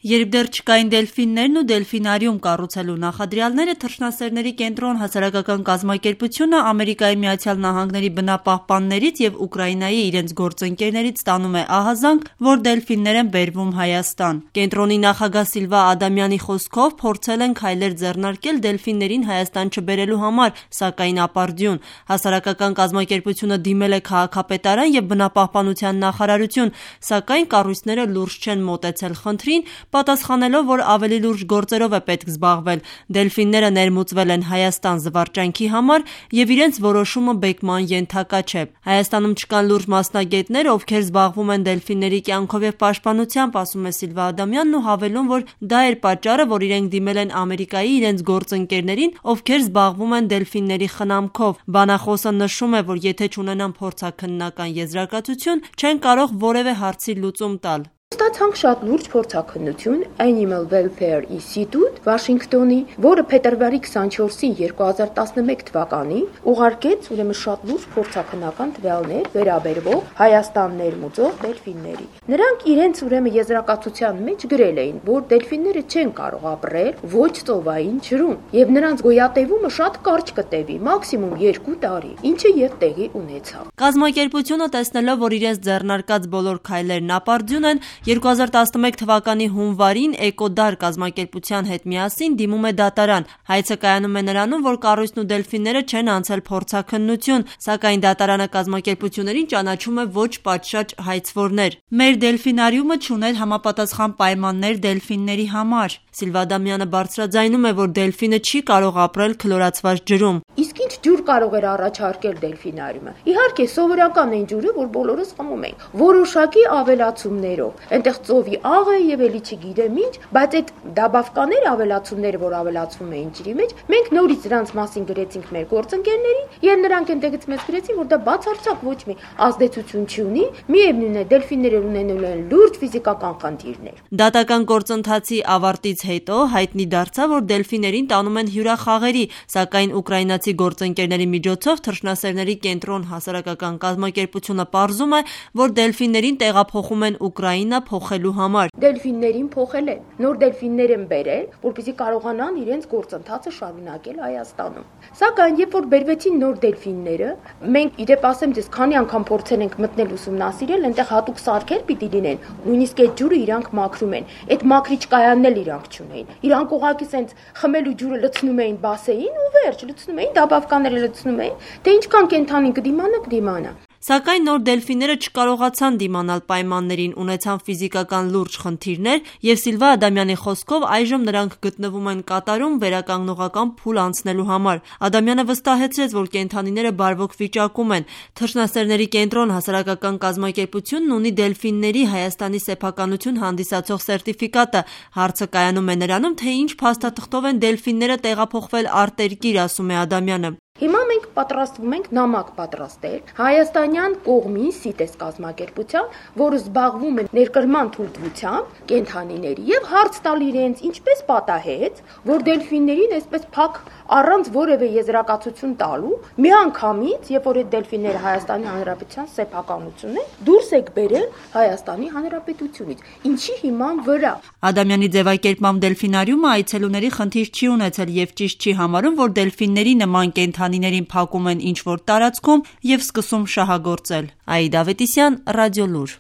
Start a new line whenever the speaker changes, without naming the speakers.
Երբ դեռ չկային դելֆիններն ու դելֆինարիում կառուցելու նախադրյալները, թռչնասերների կենտրոն հասարակական կազմակերպությունը Ամերիկայի Միացյալ Նահանգների բնապահպաններից և Ուկրաինայի իրենց գործընկերներից ստանում է ահազանգ, որ դելֆիններ են բերվում Հայաստան։ Կենտրոնի նախագահ Սիլվա Ադամյանի խոսքով փորձել են քայլեր ձեռնարկել դելֆիններին Հայաստան չբերելու համար, սակայն ապարդյուն։ Հասարակական կազմակերպությունը դիմել է քաղաքապետարան և բնապահպանության նախարարություն, սակայն կառույցները լուրջ չեն մոտեցել խնդրին, պատասխանելով, որ ավելի լուրջ գործերով է պետք զբաղվել։ Դելֆինները ներմուծվել են Հայաստան զվարճանքի համար և իրենց որոշումը բեկման ենթակա չէ։ Հայաստանում չկան լուրջ մասնագետներ, ովքեր զբաղվում են դելֆինների կյանքով և պաշտպանությամբ, ասում է Սիլվա Ադամյանն ու հավելում, որ դա էր պատճառը, որ իրենք դիմել են Ամերիկայի իրենց գործընկերներին, ովքեր զբաղվում են դելֆինների խնամքով։ Բանախոսը նշում է, որ եթե չունենան փորձաքննական եզրակացություն, չեն կարող որևէ հարցի լուծում տալ։
Ստացանք շատ լուրջ փորձաքննություն Animal Welfare Institute Վաշինգտոնի, որը փետրվարի 24-ին 2011 թվականին ուղարկեց ուրեմն շատ լուրջ փորձաքննական տվյալներ վերաբերող Հայաստան ներմուծող դելֆինների։ Նրանք իրենց ուրեմն եզրակացության մեջ գրել էին, որ դելֆինները չեն կարող ապրել ոչ ծովային ջրում, եւ նրանց գոյատևումը շատ կարճ կտևի, մաքսիմում 2 տարի, ինչը եւ տեղի ունեցավ։
Կազմակերպությունը, տեսնելով, որ իրենց ձեռնարկած բոլոր քայլերն ապարդյուն են, 2011 թվականի հունվարին Էկոդար կազմակերպության հետ միասին դիմում է դատարան։ Հայցը կայանում է նրանում, որ կառույցն ու դելֆինները չեն անցել փորձաքննություն, սակայն դատարանը կազմակերպություններին ճանաչում է ոչ պատշաճ հայցվորներ։ Մեր դելֆինարիումը չուներ համապատասխան պայմաններ դելֆինների համար։ Սիլվա Ադամյանը բարձրաձայնում է, որ դելֆինը չի կարող ապրել քլորացված ջրում։
Իսկ ինչ ջուր կարող էր առաջարկել դելֆինարիումը։ Իհարկե, սովորական այն ջուրը, որ բոլորս խմում ենք, որոշակի ավելացումներով։ Այնտեղ ծովի աղը եւ էլի չգիտեմ ինչ, բայց այդ դաբավկաներ ավելացումները, որ ավելացվում էին ջրի մեջ, մենք նորից դրանց մասին գրեցինք մեր գործընկերներին եւ նրանք այնտեղից մեզ գրեցին, որ դա բացարձակ ոչ մի ազդեցություն չունի, միևնույն է դելֆինները ունենում են լուրջ ֆիզիկական խնդիրներ։
Դատական գործընթացի ավարտից հետո հայտնի դարձավ, որ դելֆիներին տանում են հյուրախաղերի, սակայն ուկրաինացի գործընկերների միջոցով թռչնասերների կենտրոն հասարակական կազմակերպությունը պարզում է, որ դելֆիներին տեղափոխում են Ուկրաինա փոխելու համար։
Դելֆիններին փոխել են, նոր դելֆիններ են բերել, որպեսզի կարողանան իրենց գործընթացը շարունակել Հայաստանում։ Սակայն երբ որ բերվեցին նոր դելֆինները, մենք իդեպ ասեմ ձեզ, քանի անգամ փորձել ենք մտնել ուսումնասիրել, այնտեղ հատուկ սարքեր պիտի լինեն, նույնիսկ այդ ջուրը իրանք մաքրում են։ Այդ մաքրիչ կայանն էլ իրանք չունեին։ Իրանք ուղղակի սենց խմելու ջուրը լցնում էին բասեին ու վերջ, լցնում էին, դաբավկաները լցնում էին, թե ինչքան կենթանին կդիմանա։
Սակայն նոր դելֆինները չկարողացան դիմանալ պայմաններին, ունեցան ֆիզիկական լուրջ խնդիրներ և Սիլվա Ադամյանի խոսքով այժմ նրանք գտնվում են Կատարում վերականգնողական փուլ անցնելու համար։ Ադամյանը վստահեցրեց, որ կենդանիները բարվոք վիճակում են։ Թռչնասերների կենտրոն հասարակական կազմակերպությունն ունի դելֆինների Հայաստանի սեփականություն հանդիսացող սերտիֆիկատը։ Հարցը կայանում է նրանում, թե ինչ փաստաթղթով են դելֆինները տեղափոխվել արտերկիր, ասում է Ադամյանը։
Հիմա մենք պատրաստվում ենք նամակ պատրաստել հայաստանյան կողմի CITES կազմակերպության, որը զբաղվում է ներկրման թույլտվությամբ կենդանիների եւ հարց տալ իրենց ինչպես պատահեց, որ դելֆիններին այսպես փակ առանց որևէ եզրակացություն տալու միանգամից, երբ որ այդ դելֆինները Հայաստանի Հանրապետության սեփականություն են, դուրս եք բերել Հայաստանի Հանրապետությունից։ Ինչի հիման վրա։
Ադամյանի ձևակերպմամբ դելֆինարիումը այցելուների խնդիր չի ունեցել եւ ճիշտ չի համարում, որ դելֆինների նման կենդանիներին փակում են ինչ-որ տարածքում և սկսում շահագործել։ Աիդա Ավետիսյան, Ռադիոլուր։